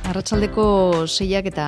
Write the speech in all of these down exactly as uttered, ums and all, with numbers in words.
Arratsaldeko seiak eta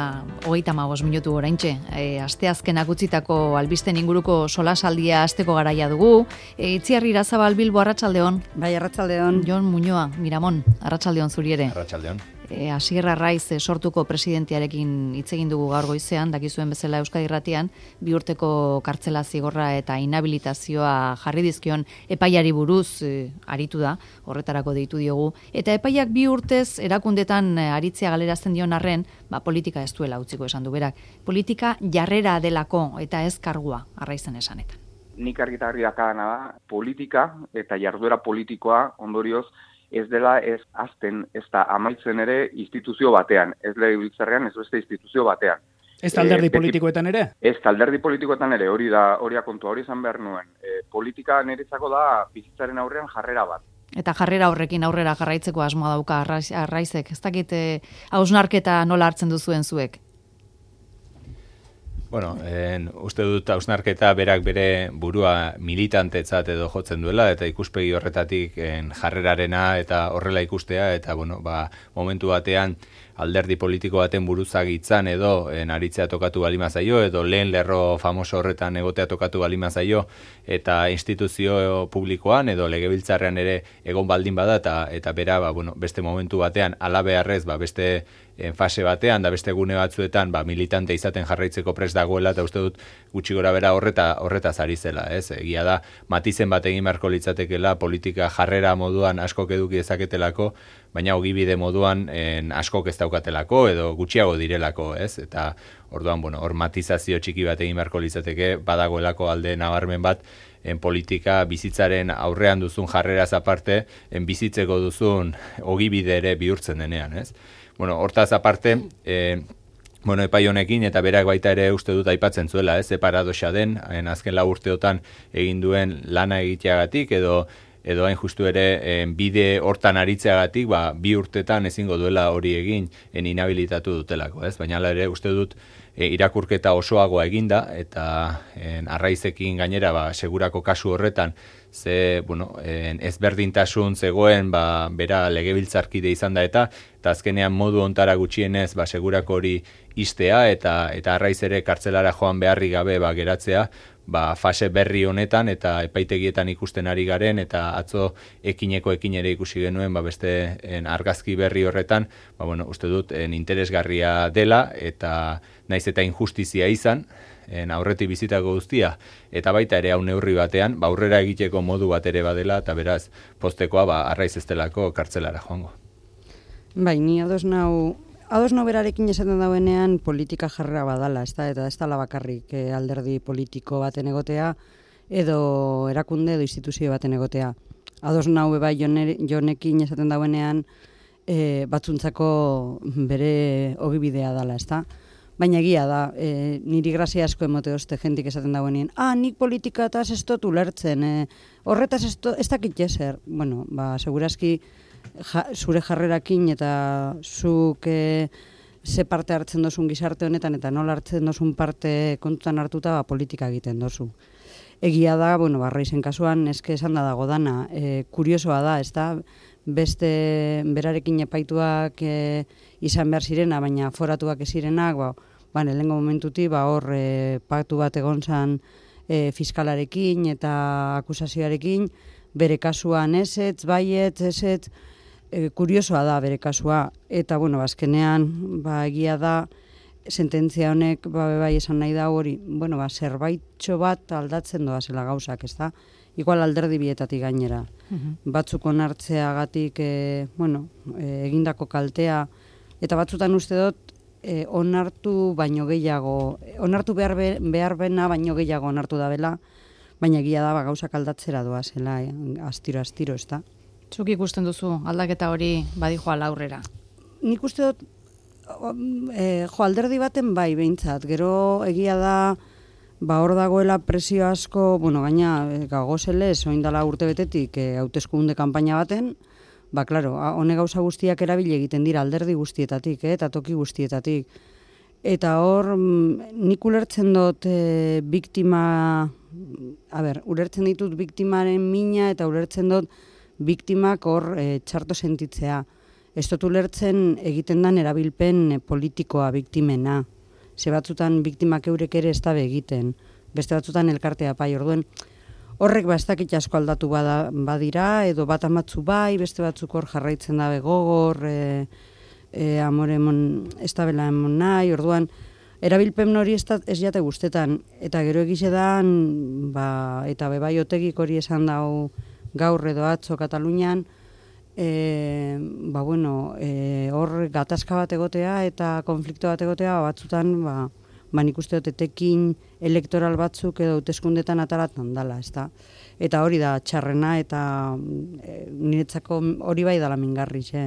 hogeita hamabost minutu oraintxe. E, asteazkenak utzitako albisten inguruko solasaldia asteko garaia dugu. E, Itziarri Irazabal Bilbo, arratsaldeon. Bai, arratsaldeon. Jon Muñoa, Miramon, arratsaldeon zuri ere. Arratsaldeon. E, Asier Arraiz sortuko presidentearekin hitz egin dugu gaur goizean, dakizuen bezala Euskadi Irratian, bi urteko kartzela zigorra eta inhabilitazioa jarri dizkion epaiari buruz e, aritu da, horretarako deitu diogu. Eta epaiak bi urtez erakundetan aritzea galerazten dion arren, ba, politika ez duela utziko esan du berak. Politika jarrera delako eta ez kargua, Arraizen esanetan. Nik argita argi dakadana da, politika eta jarduera politikoa ondorioz ez dela ez azten, ez da amaitzen ere instituzio batean, ez legebiltzarrean, ez beste instituzio batean. Ez alderdi e, politikoetan ere? Ez alderdi politikoetan ere, hori da, hori kontua, hori izan behar nuen. E, politika niretzako da bizitzaren aurrean jarrera bat. Eta jarrera horrekin aurrera jarraitzeko asmoa dauka Arraizek. Ez dakit hausnarketa nola hartzen duzuen zuek? Bueno, en, uste dut hausnarketa berak bere burua militantetzat edo jotzen duela, eta ikuspegi horretatik en, jarrerarena eta horrela ikustea, eta bueno, ba, momentu batean alderdi politiko baten buruzagitzan edo en, aritzea tokatu balima zaio, edo lehen lerro famoso horretan egotea tokatu balima zaio, eta instituzio publikoan edo legebiltzarrean ere egon baldin bada, eta, eta bera ba, bueno, beste momentu batean alabeharrez ba, beste en, fase batean, da beste gune batzuetan ba, militante izaten jarraitzeko prest dagoela, eta uste dut gutxi gora bera horreta, horretaz ari zela. Ez? Egia da, matizen bat egin beharko litzatekela politika jarrera moduan askok eduki dezaketelako, baina ogibide moduan en, askok ez daukatelako edo gutxiago direlako, ez? Eta orduan, bueno, hor matizazio txiki bat egin beharko litzateke, badagoelako alde nabarmen bat, en politika bizitzaren aurrean duzun jarreraz aparte, en bizitzeko duzun ogibide ere bihurtzen denean, ez? Bueno, hortaz aparte, eh, bueno, epai honekin eta berak baita ere uste dut aipatzen zuela, ez? Paradoxa den, en azken lau urteotan egin duen lana egiteagatik edo edo hain justu ere en, bide hortan aritzeagatik, ba, bi urtetan ezingo duela hori egin en inhabilitatu dutelako, ez? Baina ere uste dut e, irakurketa osoagoa eginda eta en, Arraizekin gainera ba, segurako kasu horretan ze, bueno, en, ezberdintasun zegoen ba, bera legebiltzarkide izan da eta eta azkenean modu ontara gutxienez ba, segurako hori istea eta eta Arraiz ere kartzelara joan beharri gabe ba, geratzea, ba, fase berri honetan eta epaitegietan ikusten ari garen eta atzo ekineko ekin ere ikusi genuen ba, beste en, argazki berri horretan, ba, bueno, uste dut en, interesgarria dela eta naiz eta injustizia izan, en, aurretik bizitako guztia, eta baita ere hau neurri batean, ba, aurrera egiteko modu bat ere badela eta beraz postekoa ba, Arraiz ez delako kartzelara joango. Bai, ni ados nau Ados no berarekin esaten dauenean politika jarrera badala, ez da, eta ez dala bakarrik eh, alderdi politiko baten egotea, edo erakunde edo instituzio baten egotea. Ados nau bai jonekin esaten dauenean eh, batzuntzako bere ogibidea dala, ez da. Baina egia da, eh, niri grazia asko emote oste jentik esaten dauenean, ah, nik politika eta ez dut ulertzen, eh, horretaz ez dakit jeser. Bueno, ba, segurazki, Ja, zure jarrerakin eta zuk e, ze parte hartzen dozun gizarte honetan eta nola hartzen dozun parte kontutan hartuta ba, politika egiten dozu. Egia da, bueno, Arraizen kasuan eske esan da dago dana, e, kuriosoa da, ez da, beste berarekin epaituak e, izan behar zirena, baina foratuak ez zirenak, ba, ba lehengo momentuti, ba, hor e, paktu bat egon zan e, fiskalarekin eta akusazioarekin, bere kasuan ezetz, baietz, ezetz, e, kuriosoa da bere kasua, eta bueno, azkenean, ba, egia da, sententzia honek, ba, bai esan nahi da hori, bueno, ba, zerbaitxo bat aldatzen doa zela gauzak, ez da? Igual alderdi bietatik gainera. Uh-huh. Batzuk onartzeagatik, e, bueno, e, egindako kaltea, eta batzutan uste dut, e, onartu baino gehiago, onartu behar, be, behar bena baino gehiago onartu da bela, baina egia da, ba, gauzak aldatzera doa zela, eh? astiro-astiro, ez da. Zuk ikusten duzu, aldaketa hori badijoa aurrera? Nik uste dut, e, jo, alderdi baten bai behintzat, gero egia da, ba, hor dagoela presio asko, bueno, gaina gagozelez, oindala urte betetik, e, hauteskunde kanpaina baten, ba, klaro, hone gauza guztiak erabili egiten dira alderdi guztietatik, eh, eta toki guztietatik. Eta hor, nik ulertzen dut e, biktima, a ber, ulertzen ditut biktimaren mina eta ulertzen dut biktimak hor e, txarto sentitzea. ez dut ulertzen egiten dan erabilpen politikoa biktimena. Ze batzutan biktimak eurek ere ez dabe egiten, beste batzutan elkartea pai, orduen horrek ba ez dakit asko aldatu bada, badira, edo bat amatzu bai, beste batzuk hor jarraitzen dabe gogor, e, e, amore emon, ez dabela emon nahi, orduan, erabilpen hori ez, da, ez jate guztetan, eta gero egize dan, ba, eta bebai otegik hori esan dau gaur edo atzo Katalunian, e, ba bueno, e, hor gatazka bat egotea eta konflikto bat egotea batzutan, ba, ba nik uste dut etekin elektoral batzuk edo hauteskundetan ataratan dala, ezta? Eta hori da txarrena eta e, niretzako hori bai dala mingarri, xe.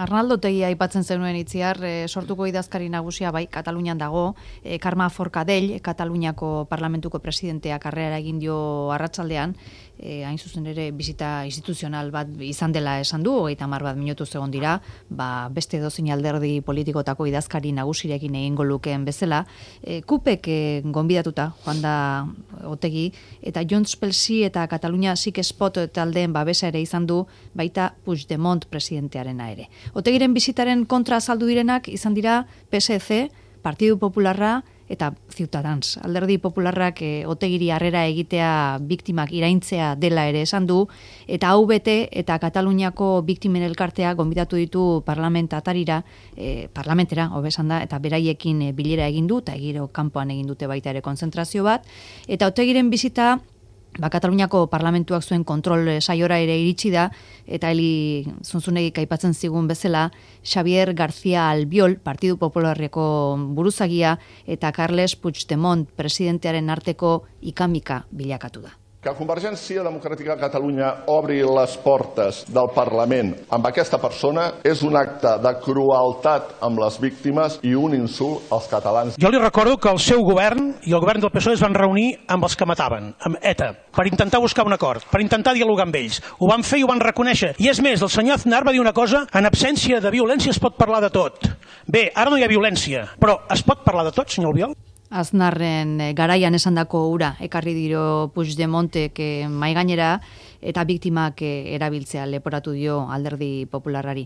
Arnaldo Otegi aipatzen zenuen Itziar, e, sortuko idazkari nagusia bai Katalunian dago, e, Carme Forcadell, Kataluniako parlamentuko presidenteak karrera egin dio arratsaldean, e, hain zuzen ere bizita instituzional bat izan dela esan du, hogeita hamar bat minutu egon dira, ba, beste edozein alderdi politikotako idazkari nagusirekin egingo lukeen bezala, e, Kupek e, gonbidatuta joan da Otegi, eta Junts pel Sí eta Katalunia Sik Spot taldeen babesa ere izan du, baita Puigdemont presidentearena ere. Otegiren bizitaren kontra azaldu direnak izan dira P S C, Partidu Popularra eta Ciutadans. Alderdi Popularrak e, Otegiri harrera egitea biktimak iraintzea dela ere esan du, eta A V T eta Kataluniako biktimen elkartea gonbidatu ditu parlamentatarira, e, parlamentera, hobesan da, eta beraiekin e, bilera egin du, eta egiro kanpoan egin dute baita ere konzentrazio bat, eta Otegiren bizita Ba, Kataluniako parlamentuak zuen kontrol saiora ere iritsi da, eta Eli Zunzunegik aipatzen zigun bezala, Xavier García Albiol, Partidu Popularreko buruzagia, eta Carles Puigdemont presidentearen arteko ikamika bilakatu da. Que Convergència Democràtica de Catalunya obri les portes del Parlament amb aquesta persona és un acte de crueltat amb les víctimes i un insult als catalans. Jo li recordo que el seu govern i el govern del P S O E es van reunir amb els que mataven, amb ETA, per intentar buscar un acord, per intentar dialogar amb ells. Ho van fer i ho van reconèixer. I és més, el senyor Aznar va dir una cosa, en absència de violència es pot parlar de tot. Bé, ara no hi ha violència, però es pot parlar de tot, senyor Albiol? Aznarren garaian esandako ura ekarri diro Puigdemontek mai gainera eta biktimak erabiltzea leporatu dio Alderdi Popularrari.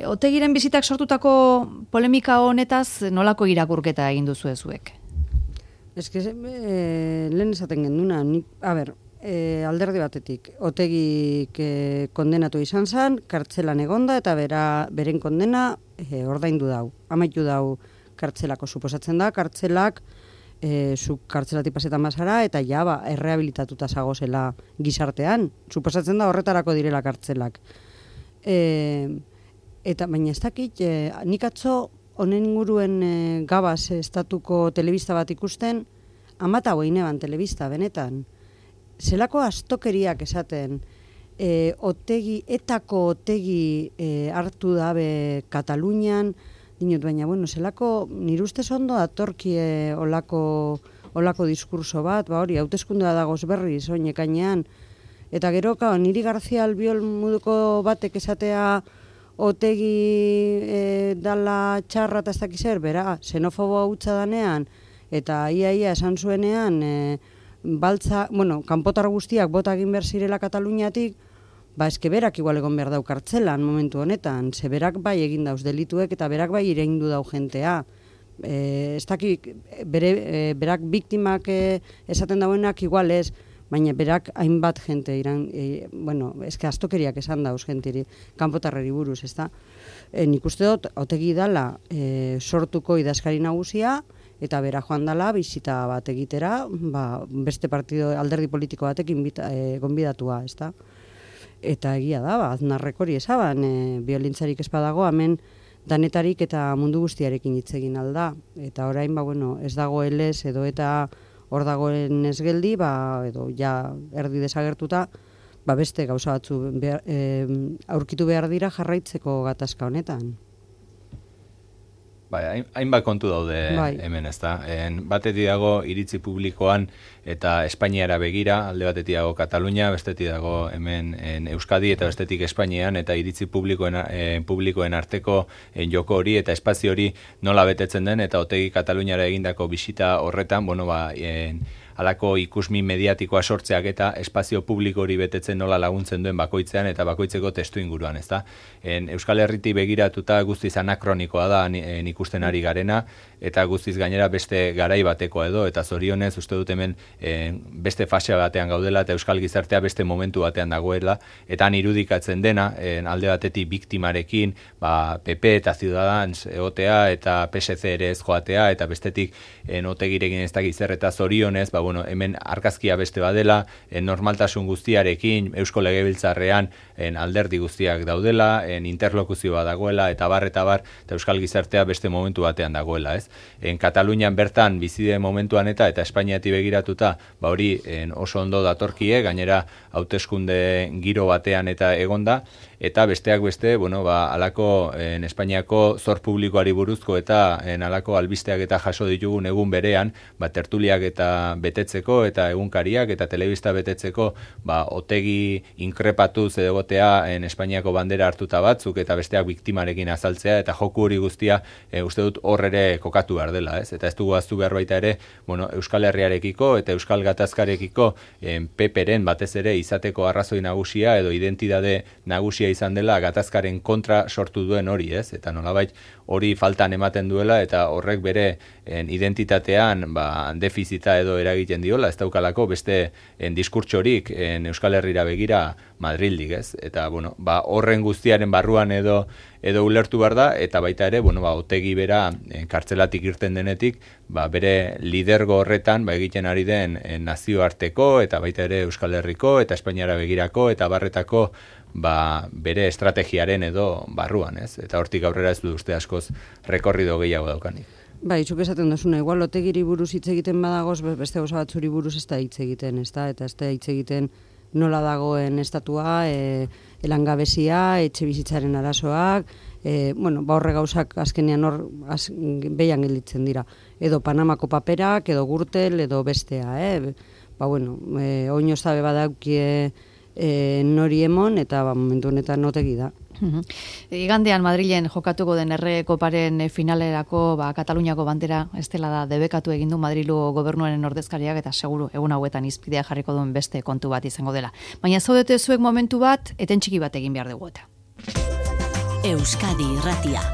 Otegiren bizitak sortutako polemika honetaz nolako irakurketa egin duzu zuek? Ez que eh, lehen esaten genduna, nik, a ber, eh, alderdi batetik, Otegik eh, kondenatu izan zen, kartzelan egonda eta bera, beren kondena eh, ordaindu dau, amaitu dau kartzelako suposatzen da, kartzelak e, zu kartzelatik pasetan bazara eta ja ba, errehabilitatuta zagozela gizartean. Suposatzen da horretarako direla kartzelak. E, eta baina ez dakit, e, nik atzo honen inguruen e, Gabaz estatuko telebista bat ikusten, amata goineban telebista, benetan. Zelako astokeriak esaten, e, otegi, etako otegi e, hartu dabe Katalunian, dinot, baina, bueno, zelako, nire ustez ondo datorkie olako, olako diskurso bat, ba hori, hauteskundea dagoz berriz, oinekainean. Eta gero, kao, niri García Albiol moduko batek esatea Otegi e, dala txarra eta ez dakizer, bera, xenofoboa hutsa danean, eta ia ia esan zuenean, e, baltza, bueno, kanpotar guztiak bota egin behar zirela Kataluniatik, ba, eske berak igual egon behar dau kartzelan momentu honetan, ze berak bai egin dauz delituek eta berak bai ireindu dau jentea. E, ez dakik, bere, e, berak biktimak e, esaten dauenak igual ez, baina berak hainbat jente iran, e, bueno, eske astokeriak esan dauz jentiri, kanpotarreri buruz, ez da. E, nik uste dut, Otegi dala e, sortuko idazkari nagusia, eta bera joan dala bizita bat egitera, ba, beste partido alderdi politiko batek inbita, e, gonbidatua, ez da. Eta egia da, ba, Aznarrek hori esaban, e, biolintzarik espadago, hemen danetarik eta mundu guztiarekin hitz egin alda. Eta orain, ba, bueno, ez dago elez edo eta hor dagoen ez geldi, ba, edo ja erdi desagertuta, ba, beste gauza batzu behar, e, aurkitu behar dira jarraitzeko gatazka honetan. Bai, hainbat kontu daude bai. Hemen, ezta. En batetik dago iritzi publikoan eta Espainiara begira, alde batetik dago Katalunia, bestetik dago hemen en Euskadi eta bestetik Espainian, eta iritzi publikoen, eh, publikoen arteko en joko hori eta espazio hori nola betetzen den, eta Otegi Kataluniara egindako bisita horretan, bueno, ba, en, halako ikusmin mediatikoa sortzeak eta espazio publiko hori betetzen nola laguntzen duen bakoitzean eta bakoitzeko testu inguruan, ezta? En Euskal Herriti begiratuta guztiz anakronikoa da nik ikusten ari garena, eta guztiz gainera beste garai batekoa edo, eta zorionez uste dut hemen en, beste fasea batean gaudela eta Euskal Gizartea beste momentu batean dagoela, eta han irudikatzen dena, en, alde batetik biktimarekin, ba, P P eta Ciudadans egotea eta P S C ere ez joatea, eta bestetik en, otegirekin ez dakiz zer, eta zorionez, ba, bueno, hemen argazkia beste badela, en, normaltasun guztiarekin, Eusko Legebiltzarrean en, alderdi guztiak daudela, en, interlokuzioa dagoela, eta bar, eta bar, eta Euskal Gizartea beste momentu batean dagoela, ez? En Katalunian bertan bizide momentuan eta eta Espainiati begiratuta, ba hori en, oso ondo datorkie, gainera hauteskunde giro batean eta egonda, eta besteak beste, bueno, ba, alako en Espainiako zor publikoari buruzko eta en alako albisteak eta jaso ditugun egun berean, ba, tertuliak eta betetzeko eta egunkariak eta telebista betetzeko, ba, otegi inkrepatuz egotea en Espainiako bandera hartuta batzuk eta besteak biktimarekin azaltzea eta joku hori guztia e, uste dut hor ere kokatu behar dela, ez? Eta ez dugu aztu behar baita ere, bueno, Euskal Herriarekiko eta Euskal Gatazkarekiko en P P-ren batez ere izateko arrazoi nagusia edo identitate nagusia izan dela gatazkaren kontra sortu duen hori, ez? Eta nolabait hori faltan ematen duela eta horrek bere en, identitatean ba, defizita edo eragiten diola, ez daukalako beste en, diskurtsorik en Euskal Herrira begira Madrildik, ez? Eta bueno, ba, horren guztiaren barruan edo edo ulertu behar da, eta baita ere, bueno, ba, otegi bera en, kartzelatik irten denetik, ba, bere lidergo horretan ba, egiten ari den en, nazioarteko eta baita ere Euskal Herriko eta Espainiara begirako eta barretako ba, bere estrategiaren edo barruan, ez? Eta hortik aurrera ez du uste askoz rekorrido gehiago daukanik. Ba, itxuk esaten duzuna, igual otegiri buruz hitz egiten badagoz, beste gauza batzuri buruz ez da hitz egiten, ez da? Eta ez da hitz egiten nola dagoen estatua, e, elangabezia, etxe bizitzaren arazoak, e, bueno, ba horre gauzak azkenean hor az, behian gelditzen dira. Edo Panamako paperak, edo Gürtel, edo bestea, eh? Ba, bueno, e, oino zabe badaukie e, nori emon, eta ba, momentu honetan otegi da. Igandean Madrilen jokatuko den erre koparen finalerako ba, Kataluniako bandera ez dela da debekatu egin du Madrilu gobernuaren ordezkariak eta seguru egun hauetan izpidea jarriko duen beste kontu bat izango dela. Baina zaudete zuek momentu bat, eten txiki bat egin behar dugu eta. Euskadi Irratia.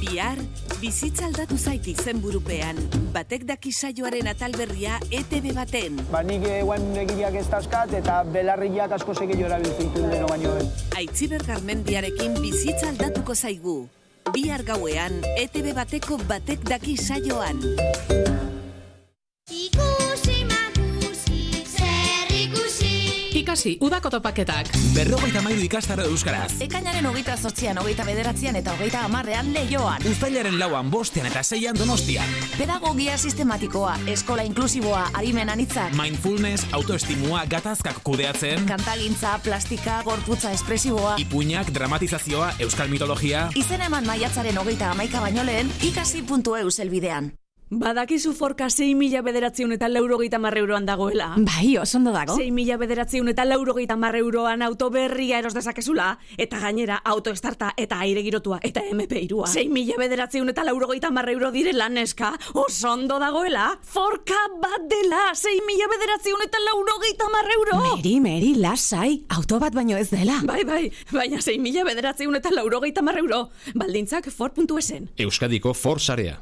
Bihar, bizitza aldatu zait izenburupean. Batek daki saioaren atalberria E T B baten. Ba, nik eguan egileak ez dauzkat eta belarriak asko segillo erabiltzen dituen deno baino. Aitziber Garmendiarekin bizitza aldatuko zaigu. Bihar gauean E T B bateko Batek daki saioan. Ikasi, udako topaketak. Berrogeita mairu ikastaro euskaraz. Ekainaren hogeita zortzian, hogeita bederatzian eta hogeita hamarrean Leioan. Uztailaren lauan, bostean eta seian Donostian. Pedagogia sistematikoa, eskola inklusiboa, arimen anitzak. Mindfulness, autoestimua, gatazkak kudeatzen. Kantagintza, plastika, gorputza espresiboa. Ipuinak, dramatizazioa, euskal mitologia. Izen eman maiatzaren hogeita hamaika baino lehen, ikasi puntu eus elbidean. Badakizu forka sei mila bederatziun eta laurogeita hamar euroan dagoela. Bai, osondo dago. sei mila bederatziun eta laurogeita hamar euroan auto berria eros dezakezula, eta gainera autoestarta eta aire girotua eta M P hirua. sei mila bederatziun eta laurogeita hamar euro direla neska, osondo dagoela. Forka bat dela, sei mila bederatziun eta laurogeita hamar euro. Meri, meri, lasai, auto bat baino ez dela. Bai, bai, baina sei mila bederatziun eta laurogeita hamar euro. Baldintzak for puntu esen. Euskadiko For sarea.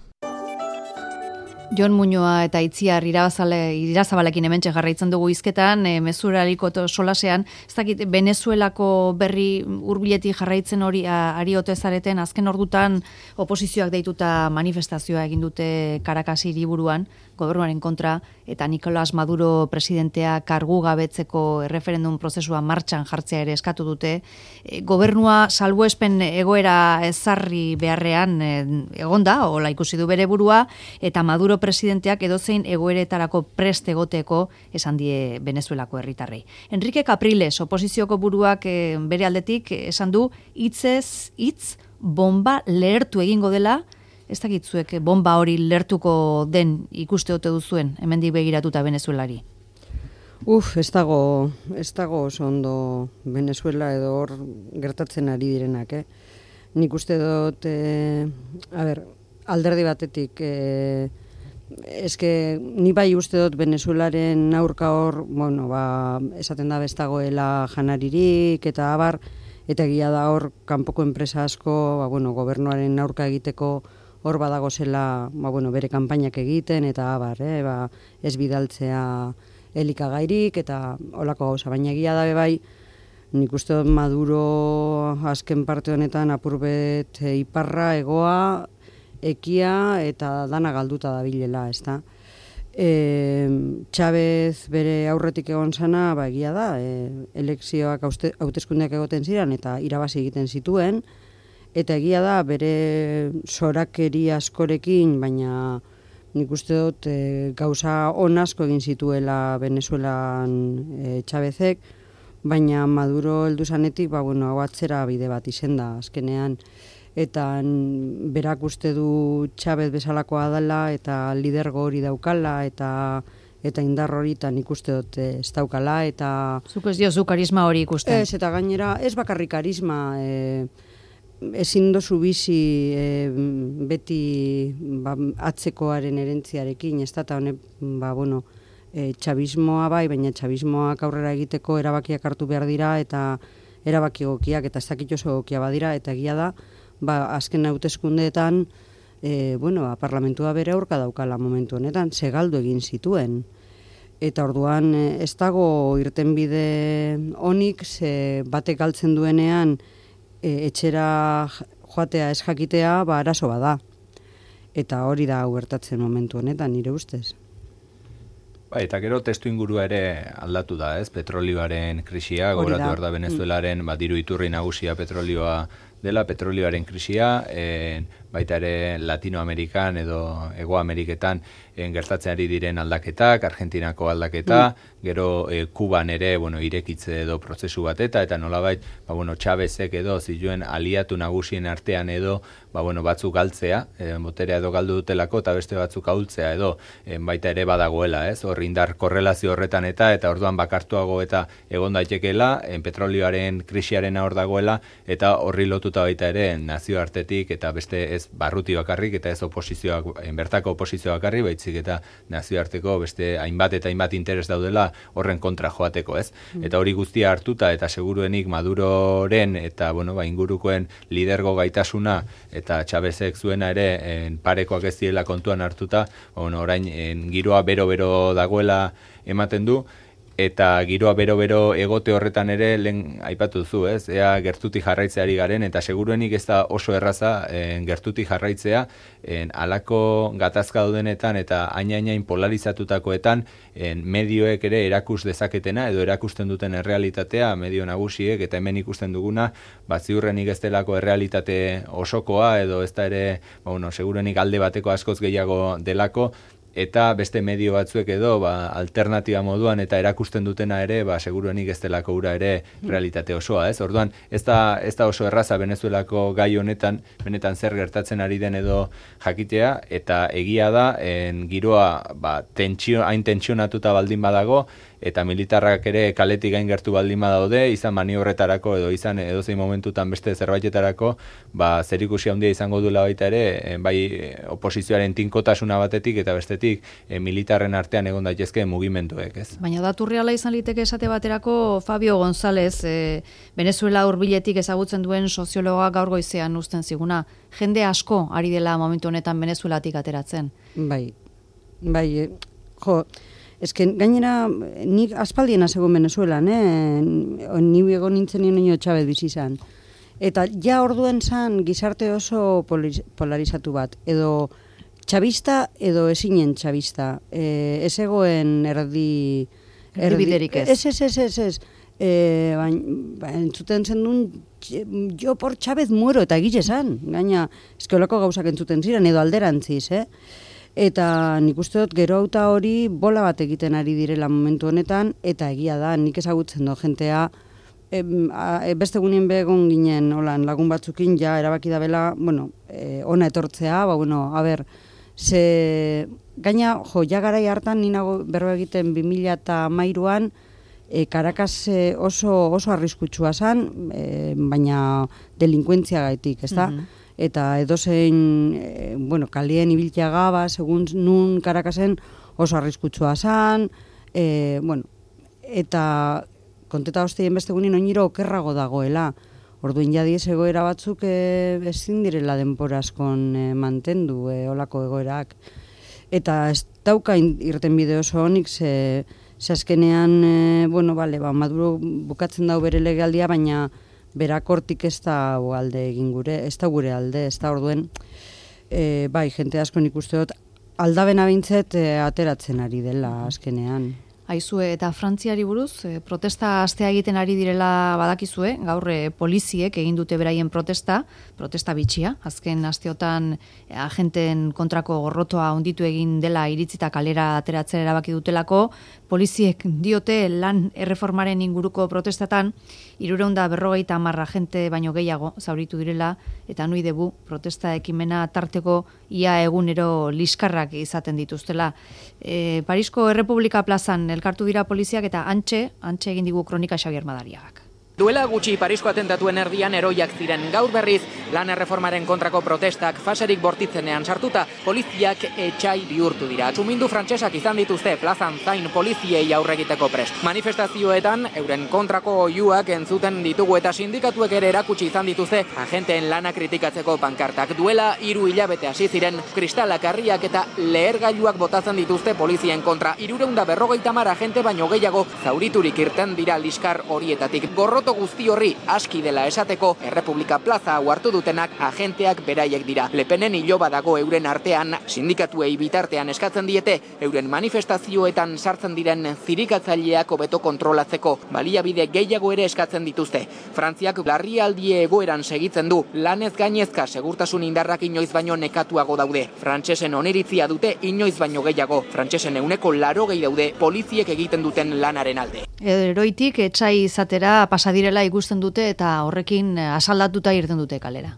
Jon Muñoa eta Itziar Irazabale, Irazabalekin hementxe jarraitzen dugu hizketan, e, mezuraliko solasean, ez dakit, Venezuelako berri hurbiletik jarraitzen hori ari ote zareten, azken ordutan oposizioak deituta manifestazioa egin dute Caracas hiriburuan, gobernuaren kontra, eta Nicolás Maduro presidentea kargu gabetzeko erreferendum prozesua martxan jartzea ere eskatu dute. E, gobernua salbuespen egoera ezarri beharrean e, egonda, hola ikusi du bere burua, eta Maduro presidenteak edozein egoeretarako prest egoteko esan die Venezuelako herritarrei. Enrique Capriles, oposizioko buruak e, bere aldetik esan du hitzez hitz bomba lehertu egingo dela. Ez dakitzuek bomba hori lertuko den ikuste ote duzuen, hemendik begiratuta Venezuelari? Uf, ez dago, ez dago oso ondo Venezuela edo hor gertatzen ari direnak, eh? Nik uste dut, eh, a ber, alderdi batetik, e, eske ni bai uste dut Venezuelaren aurka hor, bueno, ba, esaten da bestagoela janaririk eta abar, eta egia da hor kanpoko enpresa asko, ba, bueno, gobernuaren aurka egiteko hor badago zela, ba, bueno, bere kanpainak egiten eta abar, eh, ba, ez bidaltzea elikagairik eta olako gauza, baina egia da bai, nik uste dut Maduro azken parte honetan apurbet e, iparra, egoa, ekia eta dana galduta dabilela, ezta. E, Chavez bere aurretik egon zana, ba, egia da, e, elekzioak hauteskundeak egoten ziren eta irabazi egiten zituen, eta egia da bere zorakeri askorekin, baina nik uste dut e, gauza on asko egin zituela Venezuelan e, Chavezek, baina Maduro heldu zanetik, ba, bueno, hau atzera bide bat izen da azkenean, eta berak uste du Chavez bezalakoa dela eta lidergo hori daukala eta eta indar hori eta nik uste dut ez daukala eta... Zuk ez diozu karisma hori ikusten? Ez, eta gainera ez bakarrik karisma, e, ezin dozu bizi e, beti ba, atzekoaren erentziarekin, ez da, eta honek, ba, bueno, e, txabismoa bai, baina txabismoak aurrera egiteko erabakiak hartu behar dira eta erabaki egokiak eta ez dakit oso egokia badira, eta egia da, ba, azken hauteskundeetan, e, bueno, ba, parlamentua bere aurka daukala momentu honetan, segaldu egin zituen. Eta orduan ez dago irtenbide onik, ze batek galtzen duenean e, etxera joatea ez jakitea, ba, arazo bada. Eta hori da gertatzen momentu honetan, nire ustez. Ba, eta gero testu ingurua ere aldatu da, ez? Petrolioaren krisia, gogoratu behar da Venezuelaren, ba, diru iturri nagusia petrolioa dela, petrolioaren krisia, en, baita ere Latinoamerikan edo Hego Ameriketan en, gertatzen ari diren aldaketak, Argentinako aldaketa, mm. gero e, Kuban ere, bueno, irekitze edo prozesu bat eta, eta nolabait, ba, bueno, Chavezek edo zituen aliatu nagusien artean edo, ba, bueno, batzuk galtzea, e, boterea edo galdu dutelako, eta beste batzuk ahultzea edo, e, baita ere badagoela, ez? Hor indar korrelazio horretan eta, eta orduan bakartuago eta egon daitekeela, en, petrolioaren krisiaren hor dagoela, eta horri lotuta baita ere nazioartetik eta beste ez barruti bakarrik eta ez oposizioak, bertako oposizioa bakarrik, baitzik eta nazioarteko beste hainbat eta hainbat interes daudela horren kontra joateko, ez? Mm. Eta hori guztia hartuta eta seguruenik Maduroren eta bueno, ba, ingurukoen lidergo gaitasuna eta Chavezek zuena ere en, parekoak ez diela kontuan hartuta, bueno, orain en, giroa bero-bero dagoela ematen du, eta giroa bero-bero egote horretan ere lehen aipatu duzu, ez? Ea gertutik jarraitzeari garen, eta seguruenik ez da oso erraza en, gertutik jarraitzea, en, alako gatazka daudenetan eta aina-ainain polarizatutakoetan en, medioek ere erakus dezaketena edo erakusten duten errealitatea, medio nagusiek eta hemen ikusten duguna, bat ziurrenik ez delako errealitate osokoa edo ez da ere, bueno, seguruenik alde bateko askoz gehiago delako, eta beste medio batzuek edo ba, alternatiba moduan eta erakusten dutena ere, ba, seguruenik ez delako ura ere realitate osoa, ez? Orduan, ez da, ez da oso erraza Venezuelako gai honetan, benetan zer gertatzen ari den edo jakitea, eta egia da, en, giroa ba, tentsio, hain tentsionatuta baldin badago, eta militarrak ere kaletik gain gertu baldin badaude, izan maniobretarako edo izan edozein momentutan beste zerbaitetarako, ba, zerikusi handia izango duela baita ere, bai oposizioaren tinkotasuna batetik eta bestetik e, militarren artean egon daitezke mugimenduek, ez? Baina datu reala izan liteke esate baterako Fabio González, e, Venezuela hurbiletik ezagutzen duen soziologa gaur goizean uzten ziguna, jende asko ari dela momentu honetan Venezuelatik ateratzen. Bai, bai, jo, ezken, gainera, nik aspaldien azegoen Venezuelan, eh? Ni egon nintzen nio Chavez bizi izan. Eta ja orduen zan gizarte oso polarizatu bat, edo txabista edo ezinen txabista. E, ez egoen erdi... Erdibiderik ez. Ez, ez, ez, ez, ez. E, baina, ba, entzuten zen duen, jo por Chavez muero, eta egile zan. Gaina, eskeolako gauzak entzuten ziren, edo alderantziz, eh? Eta nik uste dut gero auta hori bola bat egiten ari direla momentu honetan, eta egia da, nik ezagutzen do, jentea, e, a, beste gunien begon ginen holan, lagun batzukin, ja erabaki da bela, bueno, e, ona etortzea, ba, bueno, a ber, ze, gaina, jo, ja garai hartan, ninago berro egiten bi mila hamairuan, e, Caracas oso, oso arriskutsua zan, e, baina delinkuentzia gaitik, ez da? Mm-hmm. eta edozein, e, bueno, kalien ibiltia gaba, segun nun Karakasen oso arriskutsua zan, e, bueno, eta konteta hostien beste gunin oiniro okerrago dagoela. Orduin jadiez egoera batzuk e, ezin direla denporazkon e, mantendu e, olako egoerak. Eta ez dauka irten bide oso honik, ze, ze azkenean, e, bueno, bale, ba, Maduro bukatzen dau bere legealdia, baina berak hortik ez da alde egin gure, ez da gure alde, ez da orduen, e, bai, jente asko nik uste dut, aldabena bintzet e, ateratzen ari dela azkenean. Aizue, eta Frantziari buruz, e, protesta astea egiten ari direla badakizue, gaur e, poliziek egin dute beraien protesta, protesta bitxia, azken asteotan e, agenten kontrako gorrotoa onditu egin dela iritzita kalera ateratzera erabaki dutelako, poliziek diote lan erreformaren inguruko protestatan, hirurehun eta berrogeita hamar agente baino gehiago zauritu direla, eta nui debu protesta ekimena tarteko ia egunero liskarrak izaten dituztela. E, Parisko Errepublika plazan elkartu dira poliziak eta antxe, antxe egin digu kronika Xabier Madariagak. Duela gutxi Parisko atentatuen erdian eroiak ziren, gaur berriz lan erreformaren kontrako protestak faserik bortitzenean sartuta, poliziak etxai bihurtu dira. Txumindu frantsesak izan dituzte plazan zain poliziei aurregiteko prest. Manifestazioetan euren kontrako oihuak entzuten ditugu eta sindikatuek ere erakutsi izan dituzte agenteen lana kritikatzeko pankartak. Duela hiru hilabete hasi ziren kristalak, harriak eta lehergailuak botatzen dituzte polizien kontra. Hirurehun eta berrogeita hamar agente baino gehiago zauriturik irten dira liskar horietatik. Gorroto guzti horri aski dela esateko, Errepublika plaza hau hartu dutenak agenteak beraiek dira. Lepenen iloba dago euren artean, sindikatuei bitartean eskatzen diete, euren manifestazioetan sartzen diren zirikatzaileak hobeto kontrolatzeko, baliabide gehiago ere eskatzen dituzte. Frantziak larrialdi egoeran segitzen du, lanez gainezka segurtasun indarrak inoiz baino nekatuago daude. Frantsesen oniritzia dute inoiz baino gehiago. Frantsesen euneko larogei daude poliziek egiten duten lanaren alde. Eroitik etxai izatera pasadirela ikusten dute eta horrekin asaldatuta irten dute kalera.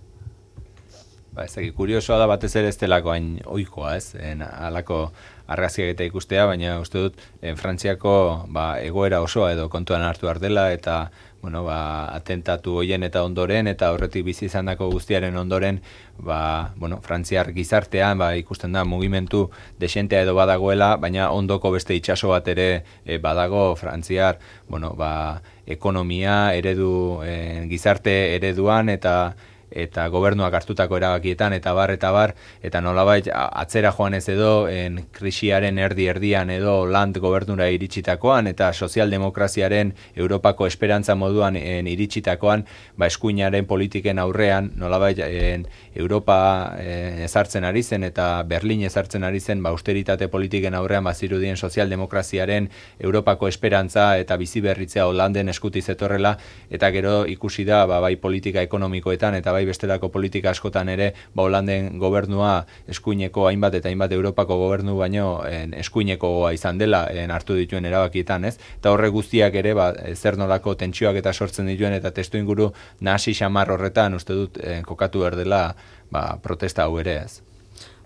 Ba, ez dakit, kuriosoa da batez ere ez delako hain ohikoa, ez? En, alako argazkiak eta ikustea, baina uste dut en, Frantziako ba, egoera osoa edo kontuan hartu behar dela eta bueno, ba, atentatu hoien eta ondoren eta horretik bizi izandako guztiaren ondoren ba, bueno, Frantziar gizartean ba, ikusten da mugimendu desentea edo badagoela, baina ondoko beste itsaso bat ere e, badago Frantziar bueno, ba, ekonomia eredu e, gizarte ereduan eta eta gobernuak hartutako erabakietan eta bar eta bar eta nolabait atzera joan ez edo en krisiaren erdi erdian edo land gobernura iritsitakoan eta sozialdemokraziaren Europako esperantza moduan en iritsitakoan ba eskuinaren politiken aurrean nolabait en Europa en, ezartzen ari zen eta Berlin ezartzen ari zen ba austeritate politiken aurrean bazirudien sozialdemokraziaren Europako esperantza eta biziberritzea Holanden eskutiz etorrela eta gero ikusi da ba, bai politika ekonomikoetan eta bai bestelako politika askotan ere ba Holanden gobernua eskuineko hainbat eta hainbat Europako gobernu baino en, eskuinekoa izan dela en, hartu dituen erabakietan, ez? Eta horre guztiak ere ba zer nolako tentsioak eta sortzen dituen eta testuinguru nahasi xamar horretan uste dut en, kokatu behar dela ba, protesta hau ere, ez?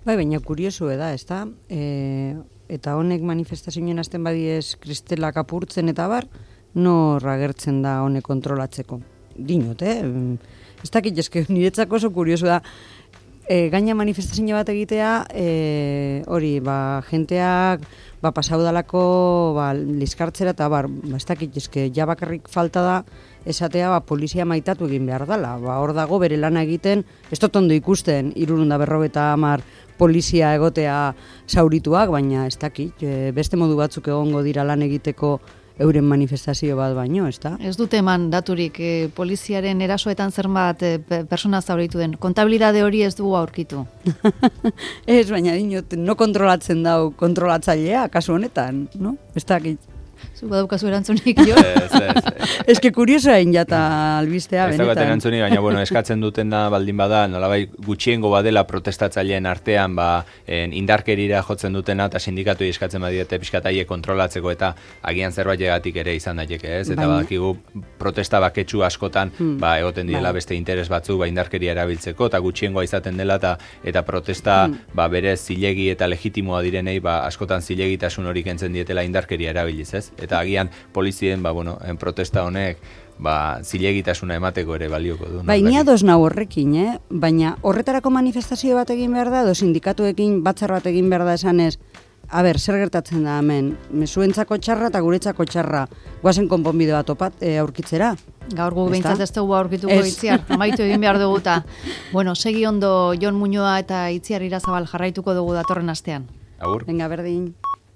Bai, baina kuriosu da, ezta? E, eta honek manifestazioen hasten badiez kristelak apurtzen eta bar, nor agertzen da honek kontrolatzeko. Dinot, eh? Ez dakit, eske niretzako oso kuriosu da. E, gaina manifestazio bat egitea, e, hori, ba, jenteak ba, pasau dalako ba, liskartzera eta bar, ba, ez dakit, eske ja bakarrik falta da esatea ba, polizia maitatu egin behar dela. Ba, hor dago bere lana egiten, ez dut ondo ikusten, hirurehun eta berrogeita hamar polizia egotea zaurituak, baina ez dakit, e, beste modu batzuk egongo dira lan egiteko euren manifestazio bat baino, ez da? Ez dute eman daturik e, poliziaren erasoetan zenbat e, persona zauritu den. Kontabilidade hori ez dugu aurkitu. Ez, baina dinot, no kontrolatzen dau kontrolatzailea, kasu honetan, no? Ez dakit. Zu badaukazu erantzunik, jo? Ez, ez, ez. Ez que kuriosoa egin jata albistea, benetan. Ez daukat erantzunik, baina bueno, eskatzen duten da baldin bada, nolabai gutxiengo badela protestatzaileen artean, ba, en, indarkerira jotzen dutena eta sindikatu eskatzen badiete pixkataie kontrolatzeko eta agian zerbait egatik ere izan daiteke, ez? Eta baina, badakigu protesta baketsu askotan, hmm, ba, egoten direla bai, beste interes batzu, ba, indarkeria erabiltzeko eta gutxiengoa izaten dela eta, eta protesta, hmm, ba, berez zilegi eta legitimoa direnei, ba, askotan zilegitasun hori kentzen dietela indarkeria erabiliz, ez? ez? Eta agian polizien, ba, bueno, en protesta honek, ba, zilegitasuna emateko ere balioko du. Bai, ni ados nau horrekin, eh? Baina horretarako manifestazio bat egin behar da, edo sindikatuekin batzar bat egin behar da esanez, a ber, zer gertatzen da hemen, mezuentzako txarra eta guretzako txarra, guazen konponbide bat opat e, aurkitzera. Gaur gu behintzat ez dugu aurkituko Itziar, amaitu egin behar duguta. Bueno, segi ondo Jon Muñoa eta Itziar Irazabal jarraituko dugu datorren astean. Agur. Venga, berdin.